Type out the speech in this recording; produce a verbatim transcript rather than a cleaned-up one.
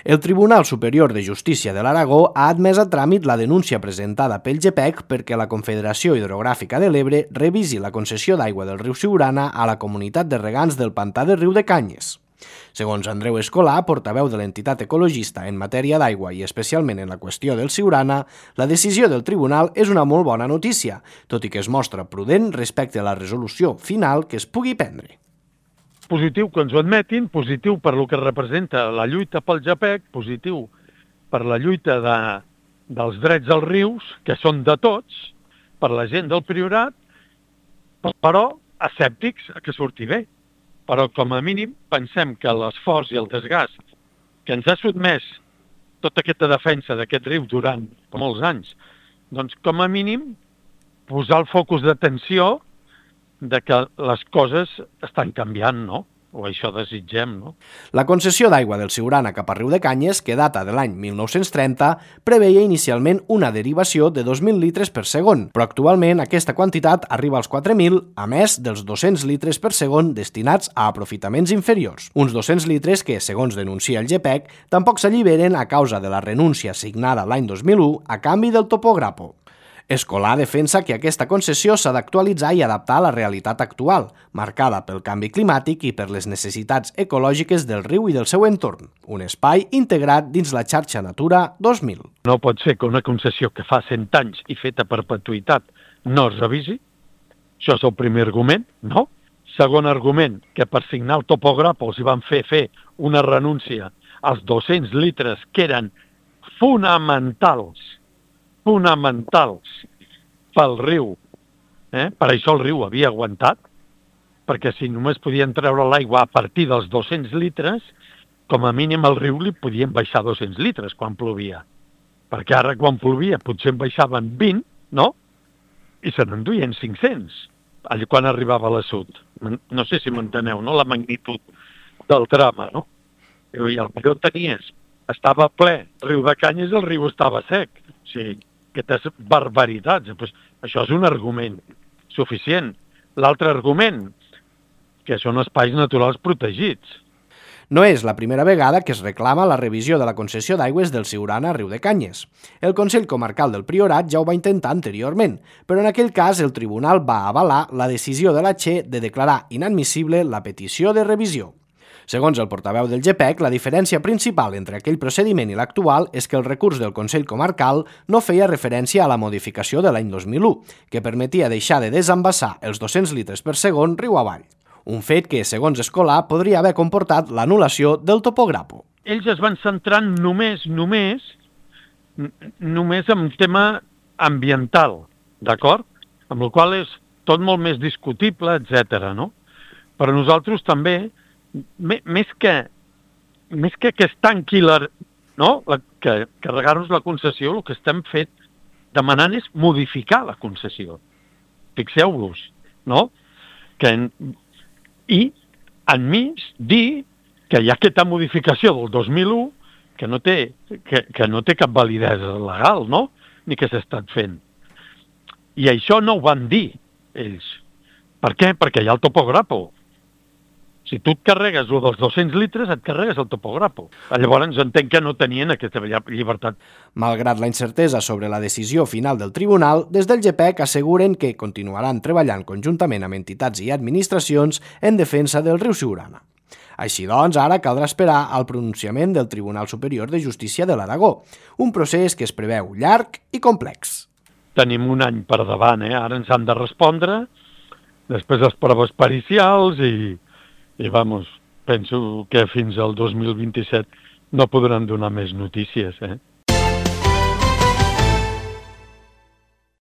El Tribunal Superior de Justícia de l'Aragó ha admès a tràmit la denúncia presentada pel G P E C perquè la Confederació Hidrogràfica de l'Ebre revisi la concessió d'aigua del riu Siurana a la comunitat de regants del pantà de Riu de Canyes. Segons Andreu Escolà, portaveu de l'entitat ecologista en matèria d'aigua i especialment en la qüestió del Siurana, la decisió del tribunal és una molt bona notícia, tot i que es mostra prudent respecte a la resolució final que es pugui prendre. Positiu que ens ho admetin, positiu per lo que representa la lluita pel G P E C, positiu per la lluita de, dels drets als rius, que són de tots, per la gent del Priorat, però escèptics a que surti bé. Però com a mínim pensem que l'esforç i el desgast que ens ha sotmès tota aquesta defensa d'aquest riu durant molts anys, doncs com a mínim posar el focus d'atenció de que les coses estan canviant, no? O això desitgem, no? La concessió d'aigua del Siurana cap a Riu de Canyes, que data de l'any mil nou-cents trenta, preveia inicialment una derivació de dos mil litres per segon, però actualment aquesta quantitat arriba als quatre mil, a més dels dos-cents litres per segon destinats a aprofitaments inferiors. Uns dos-cents litres que, segons denuncia el G P E C, tampoc s'alliberen a causa de la renúncia signada l'any dos mil u a canvi del topograpo. Escolà defensa que aquesta concessió s'ha d'actualitzar i adaptar a la realitat actual, marcada pel canvi climàtic i per les necessitats ecològiques del riu i del seu entorn, un espai integrat dins la xarxa Natura dos mil. No pot ser que una concessió que fa cent anys i feta a perpetuïtat no es revisi. Això és el primer argument, no? Segon argument, que per signar el topogràpol s'hi van fer fer una renúncia als dos-cents litres que eren fonamentals fonamentals pel riu. Eh? Per això el riu havia aguantat, perquè si només podien treure l'aigua a partir dels dos-cents litres, com a mínim al riu li podien baixar dos-cents litres quan plovia. Perquè ara quan plovia potser en baixaven vint, no? I se n'enduien cinc-cents, allà quan arribava a l'assut. No sé si m'enteneu, no? La magnitud del drama, no? I el que tenies estava ple, Riu de Canyes, el riu estava sec. O sigui, aquestes barbaritats. Pues això és un argument suficient. L'altre argument, que són espais naturals protegits. No és la primera vegada que es reclama la revisió de la concessió d'aigües del Siurana a Riu de Canyes. El Consell Comarcal del Priorat ja ho va intentar anteriorment, però en aquell cas el tribunal va avalar la decisió de la Che de declarar inadmissible la petició de revisió. Segons el portaveu del G P E C, la diferència principal entre aquell procediment i l'actual és que el recurs del Consell Comarcal no feia referència a la modificació de l'any dos mil u, que permetia deixar de desembassar els dos-cents litres per segon riu avall. Un fet que, segons Escolà, podria haver comportat l'anul·lació del topograpo. Ells es van centrar només, només, només en tema ambiental, d'acord? Amb el qual és tot molt més discutible, etcètera, no? Però nosaltres també, més que, més que que es tanqui la, no? la, que carregar-nos la concessió, el que estem fet demanant és modificar la concessió. Fixeu-vos, no? Que, I enmig dir que hi ha aquesta modificació del dos mil u que no té, que, que no té cap validesa legal, no? Ni que s'ha estat fent. I això no ho van dir ells. Per què? Perquè hi ha el topograpo. Si tu et carregues el dels dos-cents litres, et carregues el topograpo. Llavors entenc que no tenien aquesta llibertat. Malgrat la incertesa sobre la decisió final del tribunal, des del G P E C asseguren que continuaran treballant conjuntament amb entitats i administracions en defensa del riu Siurana. Així doncs, ara caldrà esperar al pronunciament del Tribunal Superior de Justícia de l'Aragó, un procés que es preveu llarg i complex. Tenim un any per davant, eh? Ara ens han de respondre, després les proves pericials i... I, vamos, penso que fins al dos mil vint-i-set no podran donar més notícies, eh?